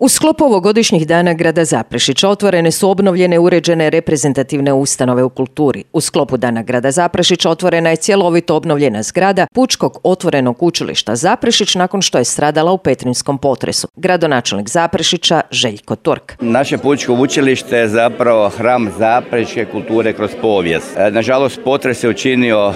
U sklopu ovogodišnjih dana grada Zaprešića otvorene su obnovljene uređene reprezentativne ustanove u kulturi. U sklopu dana grada Zaprešića otvorena je cjelovito obnovljena zgrada Pučkog otvorenog učilišta Zaprešić nakon što je stradala u petrinjskom potresu. Gradonačelnik Zaprešića Željko Turk. Naše Pučko učilište je zapravo hram zaprešičke kulture kroz povijest. Nažalost, potres je učinio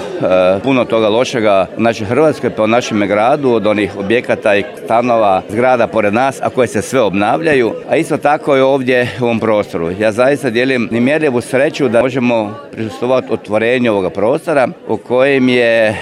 puno toga lošega u našoj Hrvatskoj, pa u našem gradu, od onih objekata i stanova, zgrada pored nas, a koje se sve obnavljaju, a isto tako je ovdje u ovom prostoru. Ja zaista dijelim nemjerljivu sreću da možemo prisustvovati otvorenju ovoga prostora u kojem je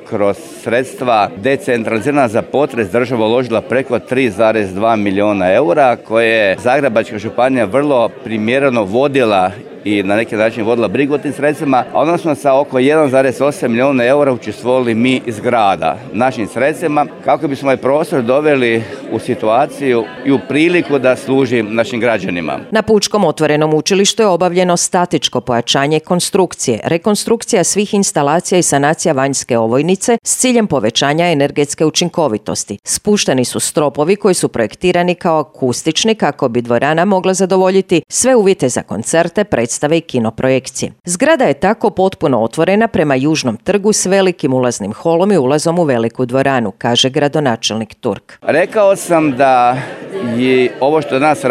kroz sredstva decentralizirana za potres država uložila preko 3,2 milijuna eura, koje je Zagrebačka županija vrlo primjereno vodila i na neki način vodila brigu o tim sredstvima, a odnosno sa oko 1,8 milijuna eura učestvovali mi iz grada našim sredstvima kako bismo ovaj prostor doveli u situaciju i u priliku da služi našim građanima. Na Pučkom otvorenom učilištu je obavljeno statičko pojačanje konstrukcije, rekonstrukcija svih instalacija i sanacija vanjske ovojnice s ciljem povećanja energetske učinkovitosti. Spušteni su stropovi koji su projektirani kao akustični kako bi dvorana mogla zadovoljiti sve uvjete za koncerte, predstave i kinoprojekcije. Zgrada je tako potpuno otvorena prema Južnom trgu s velikim ulaznim holom i ulazom u veliku dvoranu, kaže gradonačelnik Turk. Rekao sam da i ovo što danas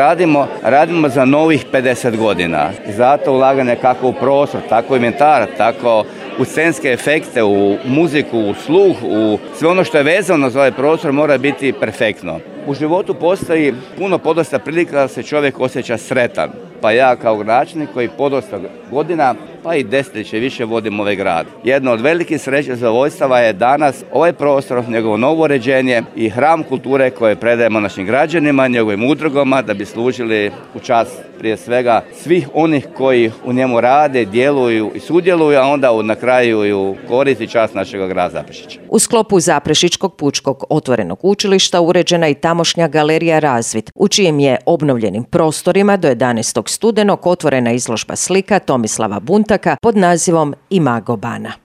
radimo za novih 50 godina. Zato ulaganje kako u prostor, tako u inventar, tako u scenske efekte, u muziku, u sluh, u sve ono što je vezano za ovaj prostor mora biti perfektno. U životu postoji puno podosta prilika da se čovjek osjeća sretan. Pa ja kao gradonačelnik koji podosta godina, pa i desetljeće više vodim ovaj grad. Jedno od velikih sreća zadovoljstava je danas ovaj prostor, njegovo novo uređenje i hram kulture koje predajemo našim građanima, njegovim udrugama da bi služili u čast prije svega svih onih koji u njemu rade, djeluju i sudjeluju, a onda na kraju i u korist i čast našeg grada Zaprešića. U sklopu Zaprešičkog Pučkog otvorenog učilišta uređena i tamošnja galerija Razvid, u čijim je obnovljenim prostorima do 11. studenog otvorena izložba slika Tomislava Buntaka pod nazivom Imago Bana.